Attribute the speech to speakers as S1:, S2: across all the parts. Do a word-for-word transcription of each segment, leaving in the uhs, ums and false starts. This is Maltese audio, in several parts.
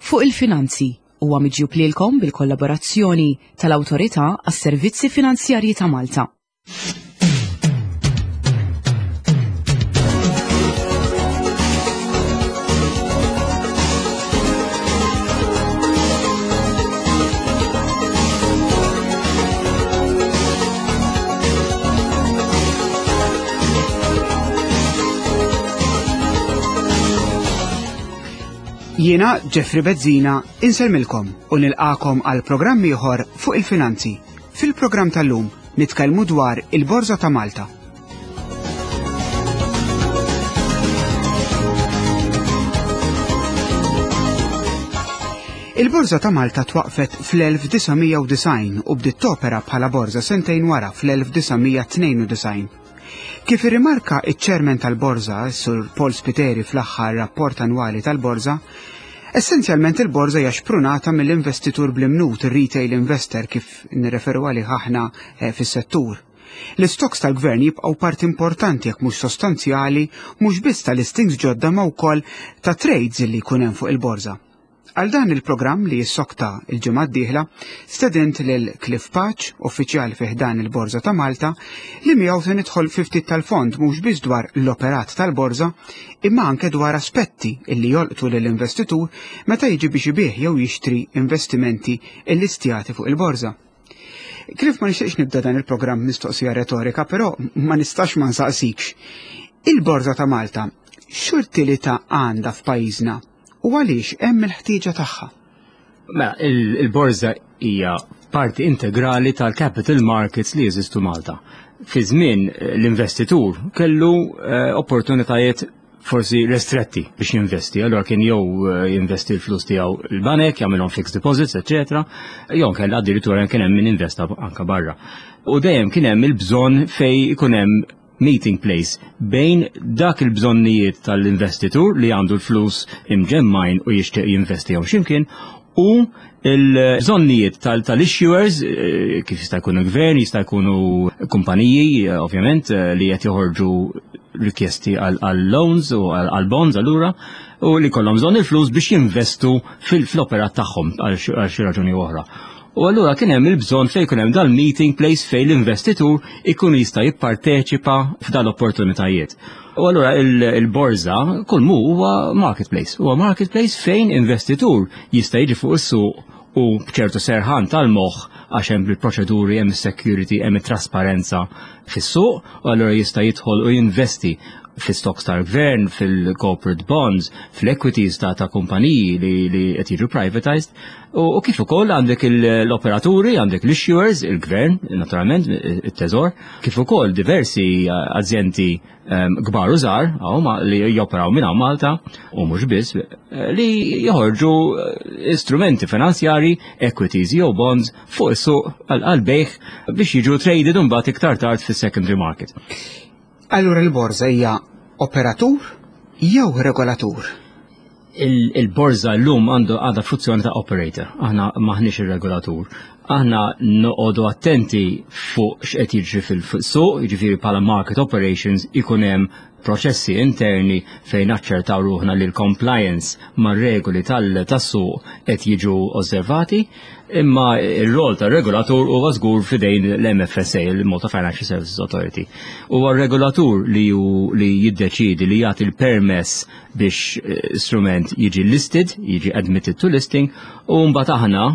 S1: Fuq il-Finanzi huwa miġjub lilkom bil-kollaborazzjoni tal-Awtorità għas-Servizzi Finanzjarji ta' Malta.
S2: Jiena Jeffrey Bezzina insellmilkom u nilqakom għal programm ieħor fuq il-finanzi. Fil-programm tal-lum nitkellmu dwar il-Borża ta' Malta. Il-Borża ta' Malta twaqfet fl-elf disa' mija u disgħin u bdiet topera bħala borża sentejn wara fl-elf disa' mija tnejn u disgħin. Kif irrimarka iċ-ċermen tal-Borża, Sur Paul Spiteri, fl-aħħar rapport annwali tal-Borża, essenzjalment il-Borża hija xprunata mill-investitur bl-imnut, ir-retail investor kif nirreferu għalih aħna, eh, fis-settur. L-istoks tal-gvern jibqgħu parti importanti jekk mhux sostanzjali, mhux biss tal-listings ġodda ma wkoll ta' trades li jkun hemm fuq il-borża. Għal dan il-programm li jissokta il-ġimgħa d-dieħla, stedint lil Cliff Pace, uffiċjal fi ħdan il-Borża ta' Malta, li miegħu se nidħol fi ftit tal-fond mhux biss dwar l-operat tal-borża, imma anke dwar aspetti illi jolqtu lill-investitur meta jiġi biex ibih jew jixtri investimenti illistjati fuq il-borża. Cliff, ma nixtieqx nibda dan il-programm mistoqsija retorika, però ma nistax ma nsaqsikx. Il-Borża ta' Malta x'utilità għandha f'pajjiżna u għaliex hemm il-ħtieġa tagħha?
S3: Mela, il-, il-borża hija parti integrali tal-capital markets li jeżistu Malta. Fi żmien l-investitur kellu, eh, opportunitajiet forsi restretti biex jinvesti. Allora kien jew, eh, jinvesti l-flus tiegħu l-banek, jagħmilhom fixed deposits, eċċetera, jew kellha addirittura kien hemm min investa anka barra. U dejjem kien hemm il-bżonn fejn ikun hemm meeting place bejn dak il-bżonnijiet tal-investitur li għandu l-flus imġemmajn u jixtieq jinvesti jew x'imkien u l-bżonnijiet tal-, tal-issuers, eh, kif jista' jkunu gvern, jista' jkunu kumpaniji, eh, ovvjament, eh, li qed joħorġu rikjesti għal, għal loans u għal, għal bonds allura, u li kollhom bżonn il-flus biex jinvestu fil-, fl-operat tagħhom għal xi, għal xi raġuni oħra. U allura kien hemm il-bżonn fejn ikun hemm dal-meeting place fejn l-investitur ikun jista' jipparteċipa f'dal-opportunitajiet. U allura il-, il-borża kull mu huwa marketplace. Huwa marketplace fejn investitur jista' jiġi fuq is-suq u b'ċertu serħan tal-moħħ għax hemm il-proċeduri, hemm is-security, hemm it-trasparenza fis-suq, u allura jista' jidħol u jinvesti fil-stocks tal-gvern, fil-corporate bonds, fil-equities ta', ta' kumpaniji li, li qed jiġu privatized, u, u kif ukoll għandek il-, l-operaturi, għandek l-issuers, il-gvern, naturalment, it-teżor, kif ukoll diversi azjendi, ehm, kbar u żgħar, hawn ma-, li joperaw minn hawn Malta, u mhux biss, eh, li joħorġu, eh, istrumenti finanzjari, equities jew bonds fuq is-suq għal, għal bejgħ biex jiġu traded imbagħad iktar tard fis-secondary market.
S2: Allura l-borża hija operatur jew regolatur?
S3: Il-, il-borża llum għandu għadha funzjoni ta' operator. Aħna maħniex ir-regolatur. Aħna noqogħdu attenti fuq x'qed jiġri fil-suq, jiġifieri bħala market operations ikun hemm proċessi interni fejn naċċertaw ruħna li l-compliance mar-regoli tal-, tas-suq qed jiġu osservati, imma ir-rol tar-regolatur huwa żgur f'idejn l-M F S A, il-Malta Financial Services Authority. Huwa r-regolatur li hu, li jiddeċiedi li jagħti l-permess biex, eh, strument jiġi listed, jiġi admitted to listing, u mbagħad aħna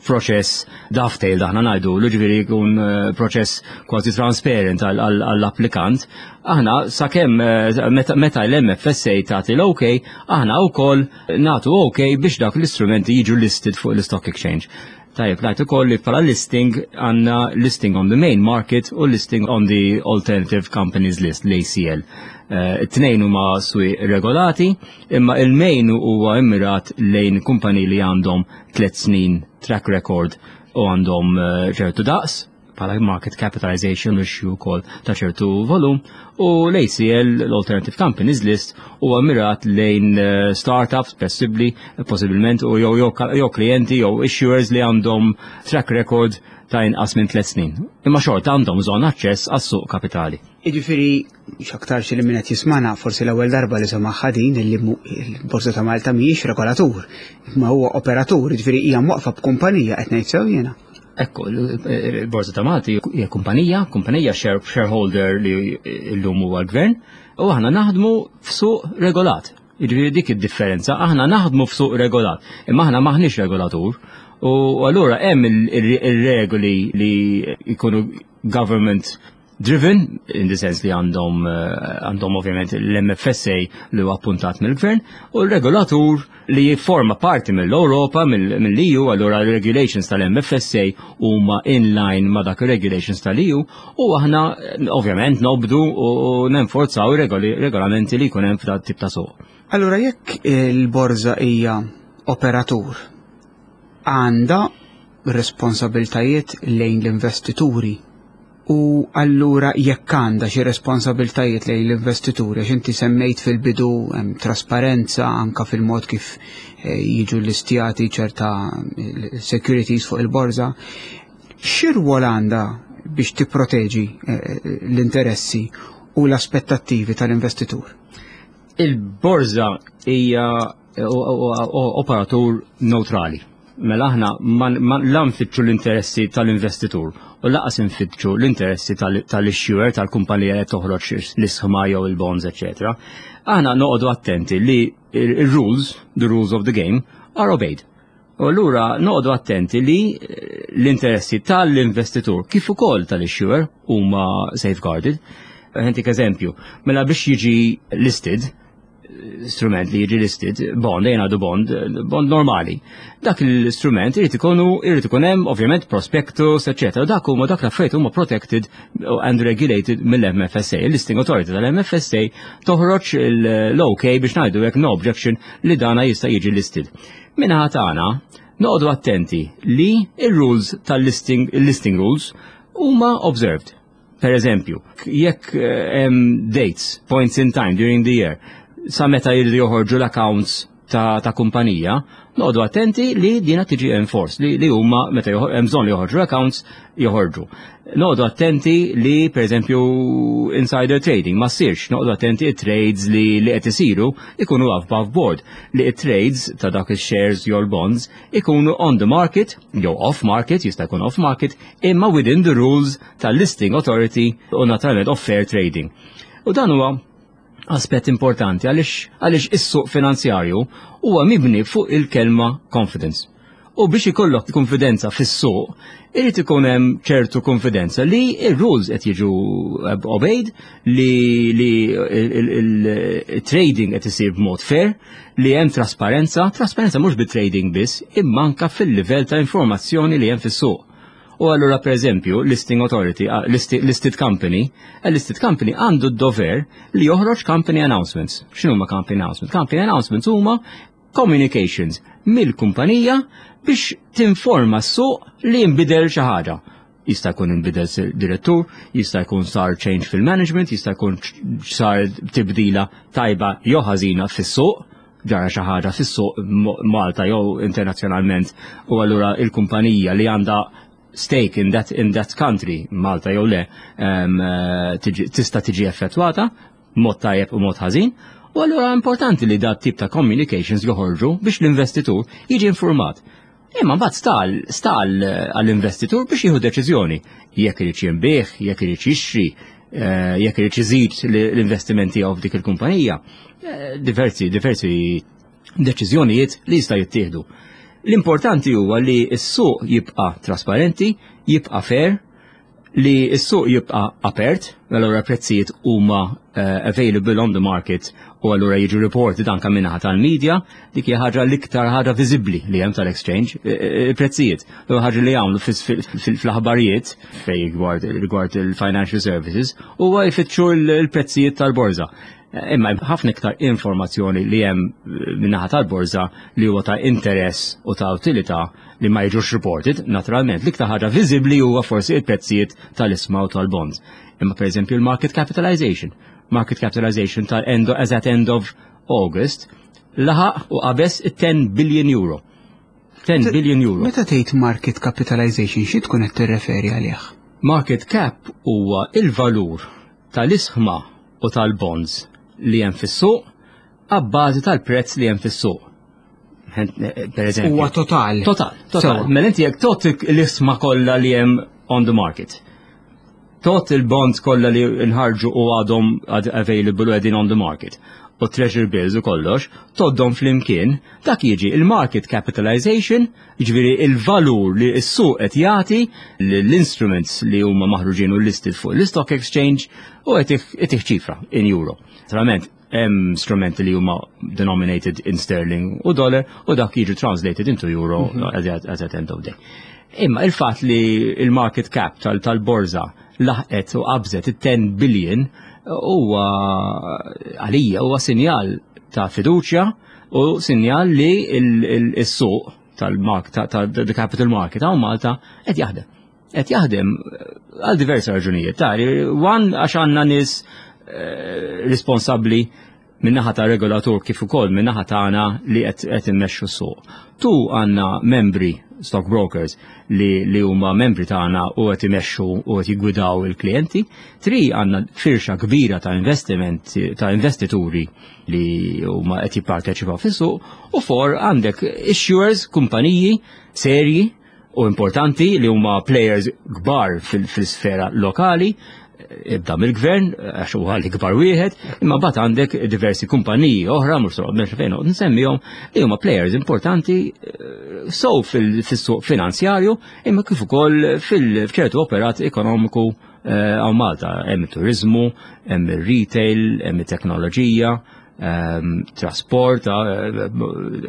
S3: proċess dovetail aħna ngħidu, ġifieri jkun, eh, proċess kważi transparent għal, għal, għall-applikant. Aħna sakemm, eh, meta, meta l-M F S A tagħti l-OK, aħna wkoll nagħtu OK biex dak l-istrumenti jiġu listed fuq l-Stock Exchange. Tajjeb, ngħid ukoll li bħala listing għandna listing on the main market u listing on the Alternative Companies List, l-A C L. Eh, it-tnejn huma swieq regolati, imma il-main huwa immirat lejn kumpaniji li għandhom tliet snin track record u għandhom, eh, ċertu daqs bħala market capitalization issue wkoll ta' ċertu volum, u l-A C L, l-Alternative Companies List, huwa mirat lejn eh, startups possibbli, possibilment, u jew jew klijenti jew issuers li għandhom track record ta' inqas minn tliet snin. Imma xorta għandhom bżonn aċċess għas-suq kapitali.
S2: Jiġifieri, x'aktarx li min qed jismagħna forsi l-ewwel darba li semaħ din li l-Borża ta' Malta mhijiex regolatur, imma huwa operatur, jiġifieri hija mwaqfa b'kumpanija, qed ngħid sew jiena?
S3: Ekku, il-Borża ta' Malta hija kumpanija, kumpanija shareholder li llum huwa l-gvern, u aħna naħdmu f'suq regolat. Jiġifieri dik id-differenza, aħna naħdmu f'suq regolat, imma aħna maħniex regolatur. U allura hemm il-regoli li jkunu government driven, in the sense li għandhom eh, għandhom ovvjament l-M F S A li huwa appuntat mill-gvern u l-regolatur li jifforma parti mill-Europa, mill-E U. Allura regulations tal-M F S A huma in line ma dak regulations tal-E U u aħna eh, ovvjament nobdu u nenforzaw regolamenti li jkun hemm f'dat tip ta' suq.
S2: Allura jekk il-borża hija operatur, għandha responsabiltajiet lejn l-investituri, u allura jekk għandha xi responsabiltajiet lejn l-investituri, għax inti semmejt fil-bidu hemm trasparenza anka fil-mod kif eh, jiġu listjati ċerta eh, securities fuq il-borża, x'irwol għandha biex tipproteġi eh, l-interessi u l-aspettattivi tal-investitur?
S3: Il-borża hija operatur neutrali. Mela aħna la nfittxu l-interessi tal-investitur u lanqas nfittxu l-interessi tal-issuer, tal-kumpanija li toħroġ l-ishma jew il-bonds, eċċetera. Aħna noqogħdu attenti li il-rules, the rules of the game, are obeyed. U allura noqogħdu attenti li l-interessi tal-investitur kif ukoll tal-issuer huma safeguarded. Ħa ntik eżempju, mela biex jiġi listed, strument li jiġi listed, bond, jena du bond, bond normali. Dak l-istrument irid ikunu irid ikun hemm ovvjament prospectus, eċċetera. Dak huma dak l-affarijiet huma protected and regulated mill-M F S A. Il-listing authority tal-M F S A toħroġ l-OK biex ngħidu hekk, no objection li dana jista' jiġi listed. Min-naħa tagħna noqogħdu attenti li il-rules tal-listing, il-listing rules huma observed. Per eżempju, jekk hemm dates, points in time during the year, sa meta jridu joħorġu l-accounts ta', ta kumpanija, noqogħdu attenti li dina tiġi enforced, li, li huma meta hemm bżonn li joħorġu accounts, joħorġu. Noqogħdu attenti li, per eżempju, insider trading ma ssirx, noqogħdu attenti trades li li qed isiru ikunu above board, li trades ta' dak il-shares jew bonds ikunu on the market jew off market, jista' jkun off market, imma within the rules tal-listing authority u naturalment of fair trading. U dan huwa aspett importanti għaliex għaliex is-suq finanzjarju huwa mibni fuq il-kelma confidence. U biex ikollok konfidenza fis-suq, irid ikun hemm ċertu konfidenza li ir-rules qed jiġu obeyed, li li il-trading qed isir b'mod fair, li hemm trasparenza, trasparenza mhux bit-trading biss, imma anka fil-livell ta' informazzjoni li hemm fis-suq. U allura, per eżempju, listing authority, uh, listed, listed company, a listed company għandu d-dover li joħroġ company announcements. X'inhu ma company announcements? Company announcements huma communications mill-kumpanija biex tinforma s-suq li jinbidel xi ħaġa. Jista' jkun inbidel direttur, jista' jkun sar change fil-management, jista' jkun sar tibdila tajba jew ħażina fis-suq, ġara xi ħaġa fis-suq Malta jew internazzjonalment, u allura il-kumpanija li għandha stake in that, in that country, Malta jew le, um, tista' tiġi effettwata, mod tajjeb u mod ħażin, u allura importanti li dat tip ta' communications joħorġu biex l-investitur jiġi informat. Imma mbagħad stal stal għall-investitur biex jieħu deċiżjoni jekk irid jinbiegħ, jekk irid jixtri, eh, jekk irid iżid l-investimenti tiegħu f'dik il-kumpanija. Eh, diversi diversi deċiżjonijiet li jista' jittieħdu. L-importanti huwa li s-suq jibqa' trasparenti, jibqa' fair, li s-suq jibqa' apert, allura prezzijiet huma uh, available on the market u allura jiġu reported anka min-naħa tal-media, dik hija ħaġa l-iktar ħaġa viżibbli li hemm tal-exchange, il-prezzijiet. L ħaġa li jagħmlu fl-aħbarijiet fej rigward il-financial services huwa jfittxu l-prezzijiet tal-borża. Imma ħafna iktar informazzjoni li hemm min-naħa tal-borża li huwa ta' interess u ta' utilità li ma jiġux reported, naturalment. L-iktar ħaġa viżibbli huwa forsi il-prezzijiet tal-ishma u tal-bonds. Imma per eżempju il-market capitalization. Market capitalization tal-end as at end of August laħaq u qabeż ten billion euro. ten billion euro.
S2: Meta tgħid market capitalization, xi tkun qed tirreferi għalih?
S3: Market cap huwa il-valur tal-ishma u tal-bonds li hemm fis-suq abbażi tal-prezz li hemm fis-suq. Per eżempju.
S2: Huwa total.
S3: Total, total. Mela inti jekk tgħodd l-ishma kollha li hemm on the market, tgħodd il-bonds kollha li nħarġu u għadhom available u qegħdin on the market, u treasury bills u kollox, tgħoddhom flimkien, dak jiġi il-market capitalization, jiġifieri il-valur li s-suq qed jagħti l-instruments li huma maħruġin u listed fuq l-stock exchange u qed ċifra in euro. Naturalment, hemm strumenti li huma denominated in sterling u dollar u dak jiġu translated into euro mm -hmm. at, at end of day. Imma il-fatt li il-market cap tal-borża laħqet u qabżet it-ten billion huwa għalija huwa sinjal ta' fiduċja u sinjal li il-suq tal-market, ta' capital market hawn Malta qed jaħdem. Qed jaħdem għal diversi raġunijiet. Tari, one, għax għandna nies eh, responsabbli min-naħa ta' regolatur kif ukoll min-naħa tagħna li qed immexxu s-suq. Two, għandna membri stockbrokers li, li huma membri tagħna u qed imexxu u qed jiggwidaw il-klijenti. Three, għandna firxa kbira ta' investiment ta' investituri li huma qed jipparteċipaw fis-suq u four, għandek issuers, kumpaniji serji u importanti li huma players kbar fil-sfera lokali, ibda mill-gvern, għax huwa l-ikbar wieħed, imma mbagħad għandek diversi kumpaniji oħra, mhux mhux fejn nsemmihom, li huma players importanti eh, so fil-suq finanzjarju, imma kif ukoll fil-ċertu operat ekonomiku eh, hawn Malta. Hemm turizmu, hemm ir-retail, hemm it-teknoloġija, um, trasport uh,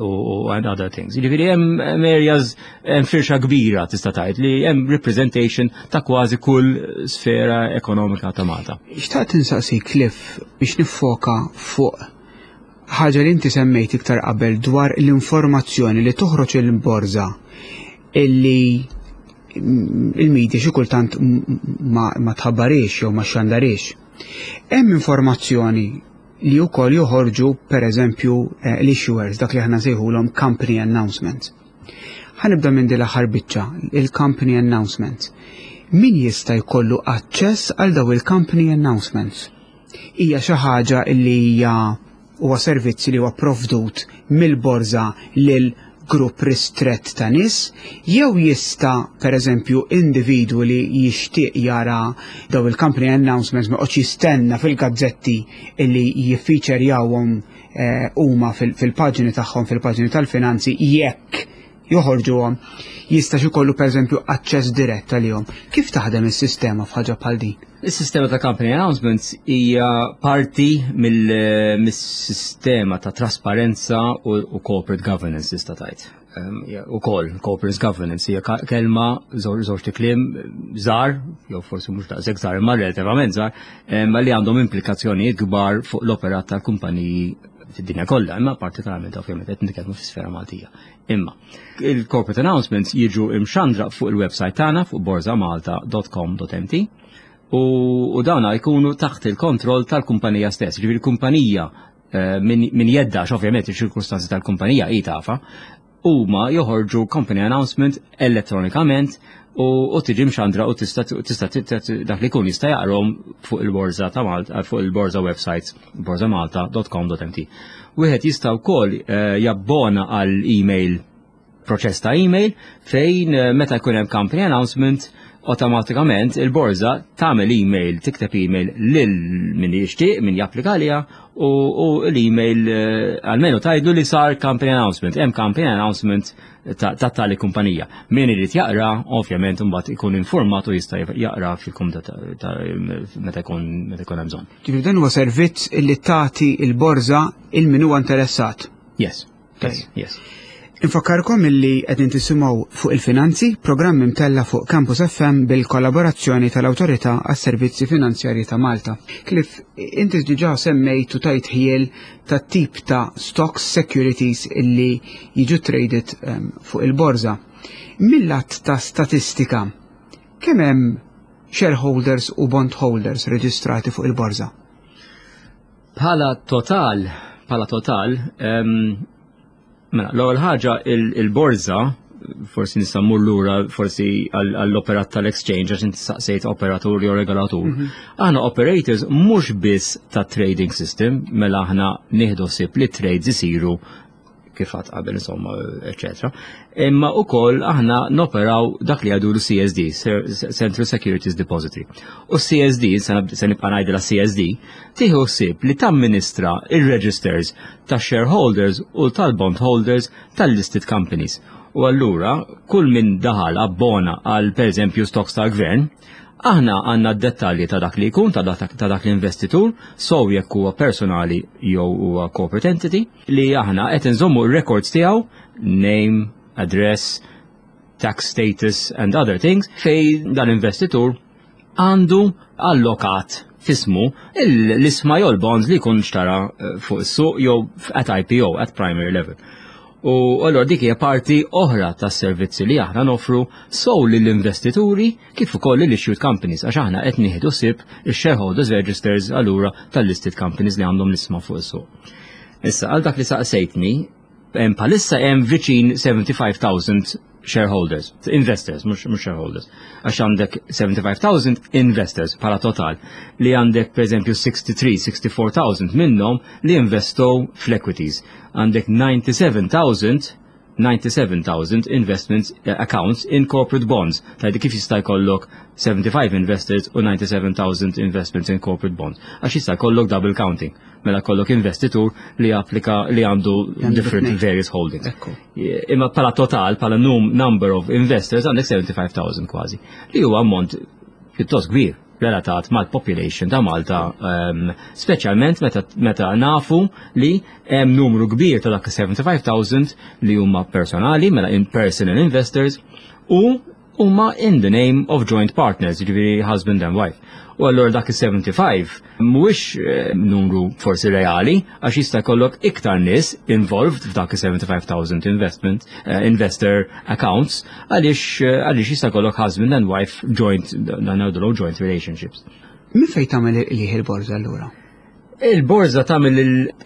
S3: u and other things. Jiġifieri hemm areas, hemm firxa kbira tista' tgħid li hemm representation ta' kważi kull sfera ekonomika ta' Malta.
S2: Xtaqt insaqsi, Cliff, biex niffoka fuq ħaġa li inti semmejt iktar qabel dwar l-informazzjoni li toħroġ il-borża illi il-media xi kultant ma, ma tħabbarix jew ma xandarix. Hemm informazzjoni li wkoll joħorġu, per eżempju, eh, l-issuers, dak li aħna nsejħulhom company announcements. Ħa nibda minn din l-aħħar biċċa, il-company announcements. Min jista' jkollu aċċess għal daw il-company announcements? Hija xi ħaġa li hija huwa servizzi li huwa provdut mill-borża lil grupp ristret ta' nies, jew jista' per eżempju individwu li jixtieq jara daw il-company announcements ma joqgħodx jistenna fil-gazzetti illi jiffeaturjawhom eh, huma fil-paġni tagħhom, fil-paġni tal-finanzi, jekk joħorġuhom, jista' jkollu per eżempju aċċess dirett għalihom? Kif taħdem is-sistema f'ħaġa bħal din?
S3: Is-sistema ta' company announcements hija parti mill-sistema ta' trasparenza u, u corporate governance, tista' tgħid. Um, Ukoll corporate governance hija kelma, żewġ kliem żgħar, jew forsi mhux daqshekk żgħar imma relativament żgħar, ma li għandhom implikazzjonijiet kbar fuq l-operat tal-kumpaniji fid-dinja kollha, imma partikolarment ovvjament qed nitkellmu fis-sfera Maltija. Imma il-corporate announcements jiġu imxandra fuq il-website tagħna fuq borzamalta punt com punt M T u, u dawna jkunu taħt il-kontroll tal-kumpanija stess. Ġifieri il-kumpanija eh, min, min jedda, ovvjament il-ċirkustanzi tal-kumpanija hi tafa, huma joħorġu company announcement elettronikament u, u tiġi mxandra u tista' tista' dak li jkun jista' jaqrom fuq il-borża ta' Malta, fuq il-borża websites borzamalta punt com punt M T. Wieħed jista' wkoll eh, jabbona għal email, proċess ta' email fejn eh, meta jkun hemm company announcement, automatikament il-borża tagħmel email, tikteb email lil min jixtieq, min japplika għaliha u, u l-email eh, almenu tgħidlu li sar company announcement, hemm company announcement ta' ta' tali kumpanija. Min irid jaqra, ovvjament imbagħad ikun informat u jista' jaqra fil-kumda ta' meta jkun meta jkun hemm bżonn.
S2: Ġifieri dan huwa servizz illi tagħti il-borża il min huwa interessat.
S3: Yes. Yes, yes.
S2: Infakkarkom illi qegħdin tisimgħu Fuq il-Finanzi, programm imtella fuq Campus F M bil-kollaborazzjoni tal-Awtorità għas-Servizzi Finanzjarji ta' Malta. Cliff, inti diġà semmejt u tajt ħjiel ta' tip ta' stocks securities illi jiġu traded um, fuq il-borża. Mill-lat ta' statistika, kemm hemm shareholders u bondholders reġistrati fuq il-borża?
S3: Bħala total, bħala total, um, mela, l-ewwel ħaġa, il-borża, forsi nista' mmur lura forsi għall-operat tal-exchange, għax inti saqsejt operatur jew regolatur. Mhm. Aħna operators mhux biss ta' trading system, mela aħna nieħdu ħsieb li trades isiru kif għad qabel, insomma, eccetera. Imma ukoll aħna noperaw dak li għadu l-C S D, Central Securities Depository. U C S D, se nibqa' ngħidilha C S D, tieħu ħsieb li tamministra il-registers ta' shareholders u tal-bondholders tal-listed companies. U allura, kull min daħal abbona għal, per eżempju, stocks tal-gvern, aħna għandna dettalji ta' dak li jkun, ta' dak, ta' dak l-investitur, so jekk huwa personali jew huwa corporate entity, li aħna qed inżommu r-records tiegħu, name, address, tax status and other things, fej dan investitur għandu allokat f'ismu l-ishma jew l-bonds li jkun xtara eh, fuq is-suq jew at I P O, at primary level. U allora dik hija parti oħra tas-servizzi li aħna nofru sow lill-investituri kif ukoll lill-issued companies, għax aħna qed nieħdu ħsieb ix-shareholders registers allura tal-listed companies li għandhom l-ishma fuq is-suq. Issa, għal dak li saqsejtni, hemm bħalissa hemm viċin sebgħa u sebgħin elf shareholders, investors, mhux mhux shareholders. Għax għandek sebgħa u sebgħin elf investors bħala total, li għandek per eżempju tlieta u sittin, sitta u sittin elf minnhom li investow fl-equities. Għandek disgħa u disgħin elf disgħa u disgħin elf investments eh, accounts in corporate bonds. Tgħidli kif jista' jkollok sebgħa u ħamsin investors u disgħa u disgħin elf investments in corporate bonds? Għax jista' jkollok double counting. Mela kollok investitur li applika li għandu
S2: Għandu
S3: different
S2: tnejn.
S3: various holdings.
S2: Ekku.
S3: Imma bħala total, bħala num number of investors, għandek sebgħa u sebgħin elf kważi. Li huwa ammont pjuttost kbir relatat mal-population ta' Malta, um, speċjalment meta, meta nafu li hemm numru kbir ta' dak sebgħa u sebgħin elf li huma personali, mela in personal investors, u huma in the name of joint partners, jiġifieri husband and wife. U allura dak is-sebgħa u sebgħin mhuwiex eh, numru forsi reali, għax jista' jkollok iktar nies involved f'dak is-sebgħa u sebgħin elf investment eh, investor accounts, għaliex eh, għaliex jista' jkollok husband and wife joint, dan ngħidulu joint relationships.
S2: Min fejn tagħmel il il-borża allura?
S3: Il-borża tagħmel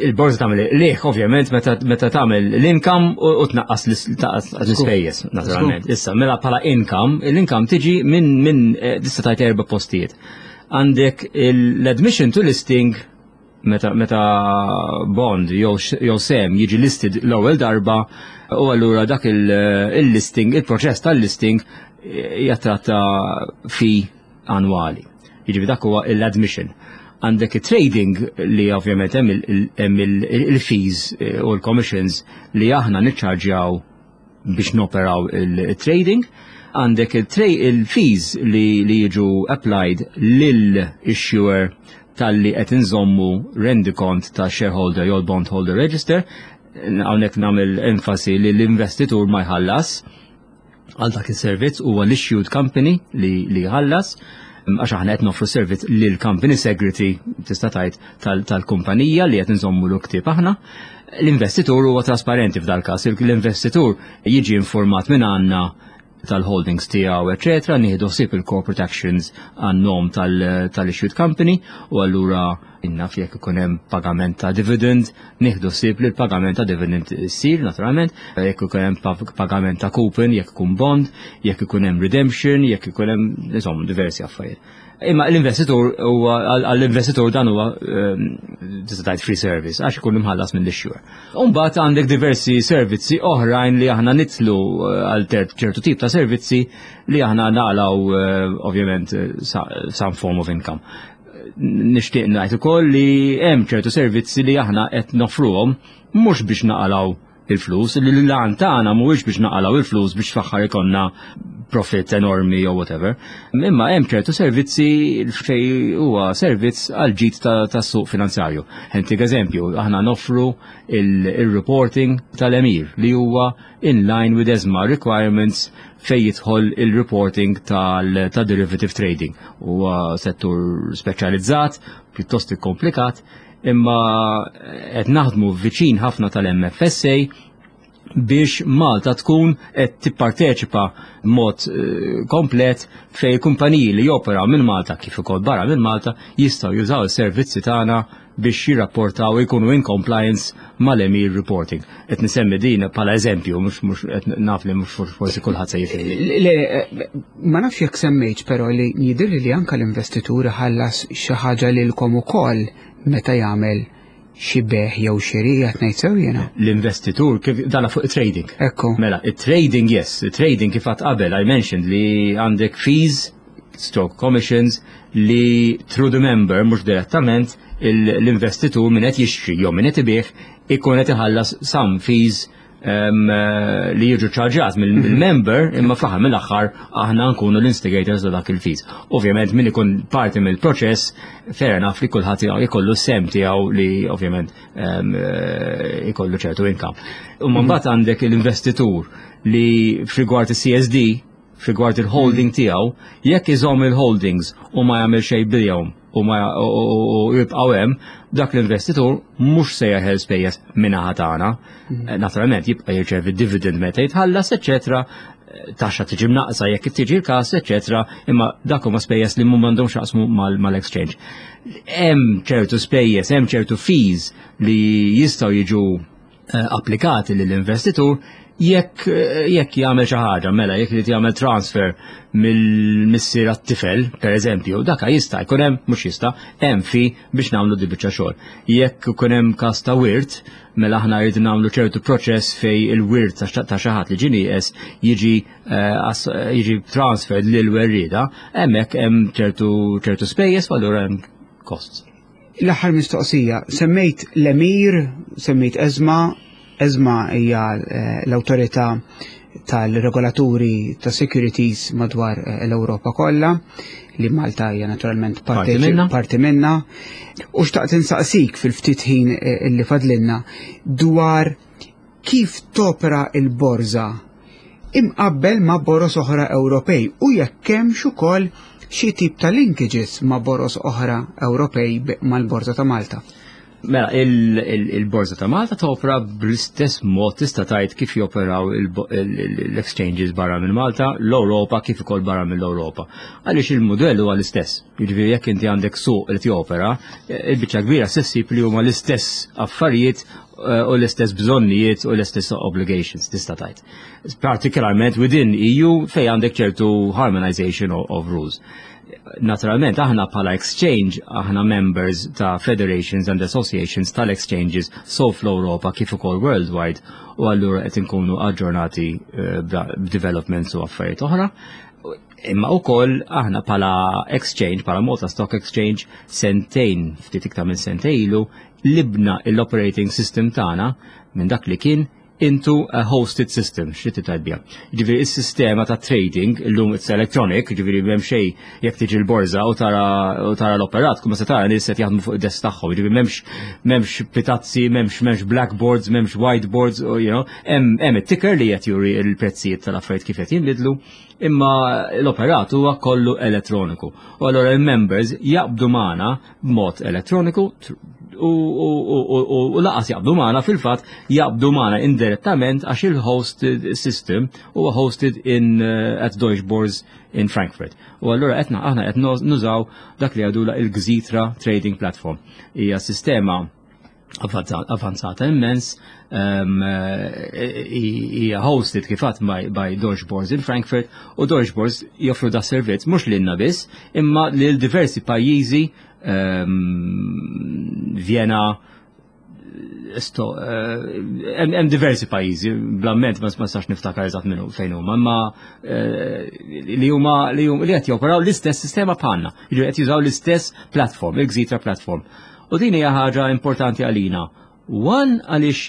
S3: il-borża tagħmel liħ ovvjament meta meta tagħmel l-income u u tnaqqas l- l-ispejjeż naturalment. Issa, mela bħala income, l-income tiġi minn minn eh, tista' tgħid erba' postijiet. Għandek l-admission to listing, meta meta bond jew jew sehem jiġi listed l-ewwel darba, u allura dak il-listing, il-proċess tal-listing eh, jattratta fee annwali. Jiġifieri dak huwa l-admission. Għandek trading, li ovvjament hemm il- hemm il- il-fees eh, u l-commissions li aħna niċċarġjaw biex noperaw il-trading. Għandek il-fees li, li jiġu applied lil-issuer talli qed inżommu rendikont ta' shareholder jew bondholder register. Hawnhekk nagħmel enfasi li l-investitur ma jħallas għal dak is-servizz, huwa l-issued company li, li jħallas, għax aħna qed noffru servizz lil company secretary, tista' tgħid, tal-kumpanija li qed nżommu l ktieb aħna. L-investitur huwa trasparenti f'dal każ, l-investitur jiġi informat minn għandna tal-holdings tiegħu, eċetera, nieħdu ħsieb il-corporate actions għan-nom tal-issued company, u allura innaf jekk ikun hemm pagament ta' dividend, nieħdu ħsieb li l-pagament ta' dividend issir naturalment, jekk ikun hemm pagament ta' coupon, jekk ikun bond, jekk ikun hemm redemption, jekk ikun hemm, insomma, diversi affarijiet. Imma l-investitur huwa għall-investitur dan huwa ehm, tista' tgħid free service, għax ikun imħallas mill-issuer. Imbagħad għandek diversi servizzi oħrajn li aħna nitlu eh, għal ċertu tip ta' servizzi li aħna naqlaw eh, ovvjament eh, some form of income. Nixtieq ngħid ukoll li hemm ċertu servizzi li aħna qed nofruhom mhux biex naqalaw il-flus, li l-għan tagħna mhuwiex biex naqalaw il-flus biex fl-aħħar ikollna profit enormi jew whatever. Imma hemm ċertu servizzi fej huwa servizz għal ġid tas-suq finanzjarju. Ħa ntik eżempju, aħna noffru il-reporting tal-EMIR li huwa in line with ESMA requirements fej jidħol il-reporting tal-derivative trading. Huwa settur speċjalizzat, pjuttost komplikat, imma qed naħdmu viċin ħafna tal-M F S A biex Malta tkun qed tipparteċipa mod eh, komplet fej kumpaniji li joperaw minn Malta kif ukoll barra minn Malta jistgħu jużaw is-servizzi tagħna biex jirrapportaw, jkunu in compliance mal-EMIR reporting. Qed nisemmi din bħala eżempju, mhux mhux qed naf li mhux forsi kulħadd se jifhem.
S2: Le, ma nafx jekk semmejtx, però li jidhirli li anka l-investituri ħallas xi ħaġa lilkom ukoll meta jagħmel xi bejgħ jew xiri, qed ngħid sew jiena?
S3: L-investitur kif dana fuq trading.
S2: Ekku.
S3: Mela, it-trading, yes, trading kif għedt qabel, I mentioned li għandek fees, stroke commissions, li through the member, mhux direttament, l-investitur min qed jixtri jew min qed ibigħ ikun qed iħallas some fees um, li jiġu ċarġat mill-member, imma fl-aħħar mill-aħħar aħna nkunu l-instigators ta' dak il-fees. Ovvjament min ikun parti mill-proċess, fair enough li kulħadd ikollu sehem tiegħu li ovvjament um, ikollu ċertu income. U mbagħad għandek l-investitur li f'rigward il-C S D, f'rigward il-holding tiegħu, jekk iżomm il-holdings u ma jagħmel xejn bihom u ma u jibqgħu hemm, dak l-investitur mhux se jeħel spejjeż min-naħa tagħna. Naturalment jibqa' jirċevi dividend meta jitħallas, eċetera, taxxa tiġi mnaqsa jekk tiġi l-każ, eċetera, imma dak huma spejjeż li m'għandhomx x'jaqsmu mal-exchange. Hemm ċertu spejjeż, hemm ċertu fees li jistgħu jiġu eh, applikati lill-investitur jekk jekk jagħmel xi ħaġa, mela jekk irid jagħmel transfer mill-missier għat-tifel, per eżempju, daka jista' jkun hemm, mhux jista', hemm fee biex nagħmlu di biċċa xogħol. Jekk ikun hemm każ ta' wirt, mela aħna rridu nagħmlu ċertu proċess fej il-wirt ta' xi ħadd li ġie nieqes jiġi eh, jiġi transferred lil werrieda, hemmhekk hemm ċertu ċertu spejjeż u allura hemm costs.
S2: L-aħħar mistoqsija, semmejt l-EMIR, semmejt ESMA. ESMA hija eh, l-awtorità tal-regolaturi ta' securities madwar eh, l-Ewropa kollha, li Malta hija naturalment
S3: parti minna.
S2: Parti minna. U xtaqt insaqsik fil-ftit ħin eh, li fadlinna dwar kif topera il-borża imqabbel ma' boros oħra Ewropej u jekk hemmx ukoll xi tip ta' linkages ma' boros oħra Ewropej mal-Borża ta' Malta.
S3: Mela, il-Borża ta' Malta topera bl-istess mod, tista' tgħid, kif joperaw l-exchanges barra minn Malta, l-Ewropa kif ukoll barra mill-Ewropa. Għaliex il-modell huwa l-istess. Jiġifieri jekk inti għandek suq li jopera, il-biċċa kbira se ssib li huma l-istess affarijiet eh, u l-istess bżonnijiet u l-istess obligations, tista' tgħid. Partikolarment within E U fej għandek ċertu harmonization of, of rules. Naturalment aħna bħala exchange aħna members ta' federations and associations tal-exchanges so fl-Europa kif ukoll worldwide u allura qed inkunu aġġornati eh, b'developments u affarijiet oħra. Imma wkoll aħna bħala exchange, bħala Malta Stock Exchange, sentejn, ftit iktar minn sentejn ilu, qlibna l-operating system tagħna minn dak li kien into a hosted system, xi tgħid biha? Ġifieri is-sistema ta' trading illum it's electronic, ġifieri m'hemm xejn, jekk tiġi l-borża u tara u tara l-operat, kuma se tara nies qed jaħdmu fuq id-desk tagħhom, ġifieri m'hemmx m'hemmx pitazzi, m'hemmx m'hemmx blackboards, m'hemmx whiteboards, you know, hemm hemm it-ticker li qed juri l-prezzijiet tal-affarijiet kif qed jinbidlu, imma l-operat huwa kollu elettroniku. U allura il-members jaqbdu magħna b'mod elettroniku u lanqas jaqbdu magħna, fil-fatt jaqbdu magħna indirettament għax il-hosted system huwa hosted in uh, at Deutsche Börse in Frankfurt. U allura qed aħna qed nużaw dak li jgħidulha il-Xetra Trading Platform. Hija sistema avanzata immens, um, hija hosted kif għedt by, by Deutsche Börse in Frankfurt u Deutsche Börse joffru da servizz mhux lilna biss imma lil diversi pajjiżi, um, Vienna, hemm diversi pajjiżi, bl-amment ma nistax niftakar eżatt minnu fejn huma, imma li huma li qed joperaw l-istess sistema bħalna, jiġifieri qed jużaw l-istess platform, il-Xetra platform. U din hija ħaġa importanti għalina. One, għaliex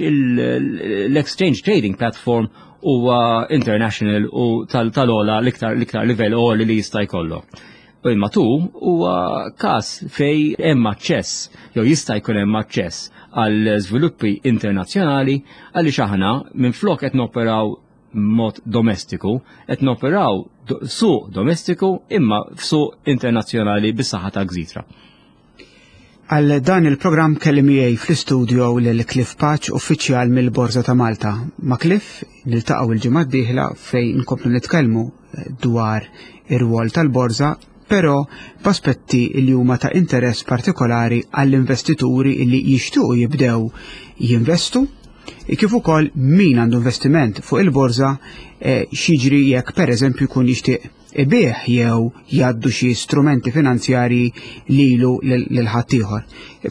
S3: l-exchange trading platform huwa international u tal-ogħla l-iktar l-iktar livell għoli li jista' jkollok. U imma tu huwa każ fej hemm aċċess jew jista' jkun hemm aċċess għal żviluppi internazzjonali għaliex aħna minflok qed noperaw mod domestiku, qed noperaw suq domestiku imma f'suq internazzjonali bis-saħħa ta' Gżitra.
S2: Għal dan il-programm kelli miegħi fl-istudio lil Cliff Pace, uffiċjal mill-Borża ta' Malta. Ma' Cliff niltaqgħu il-ġimgħa d-dieħla fejn nkomplu nitkellmu dwar ir-rwol tal-borża, però b'aspetti li huma ta' interess partikolari għall-investituri li jixtiequ jibdew jinvestu, kif ukoll min għandu investiment fuq il-borża, x'jiġri jekk pereżempju jkun jixtieq ibigħ jew jgħaddu xi strumenti finanzjarji lilu lil ħaddieħor.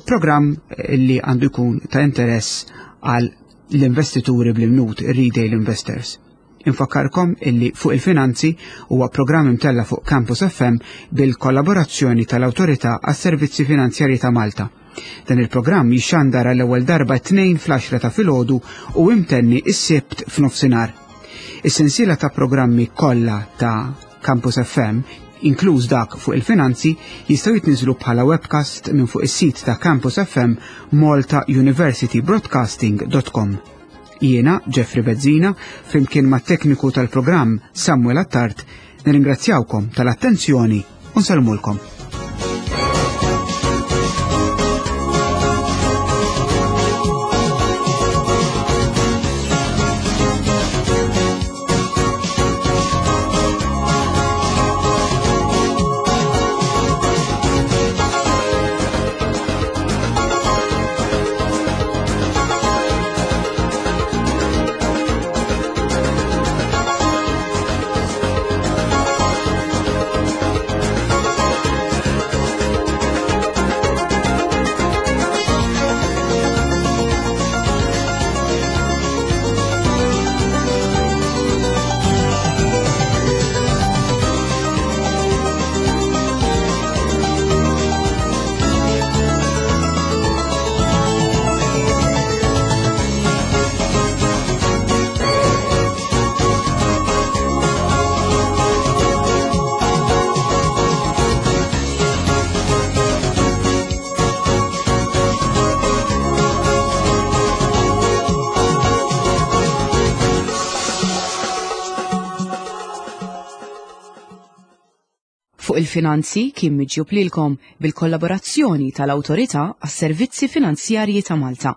S2: Programm li għandu jkun ta' interess għal l-investituri bl-imnut, retail investors. Infakkarkom illi Fuq il-Finanzi huwa programm imtella fuq Campus F M bil-kollaborazzjoni tal-Awtorità għas-Servizzi Finanzjarji ta' Malta. Dan il-programm jixxandar għall-ewwel darba tnejn fl-għaxra ta' filgħodu u imtenni is-Sibt f'nofsinhar. Is-sensiela ta' programmi kollha ta' Campus F M, inkluż dak Fuq il-Finanzi, jistgħu jitniżlu bħala webcast minn fuq is-sit ta' Campus F M, malta university broadcasting dot com. Jiena, Jeffrey Bezzina, flimkien mat tekniku tal-programm Samuel Attard, nirringrazzjawkom tal-attenzjoni u nsellmulkom.
S1: Fuq il-Finanzi kien miġjub lilkom bil-kollaborazzjoni tal-Awtorità għas-Servizzi Finanzjarji ta' Malta.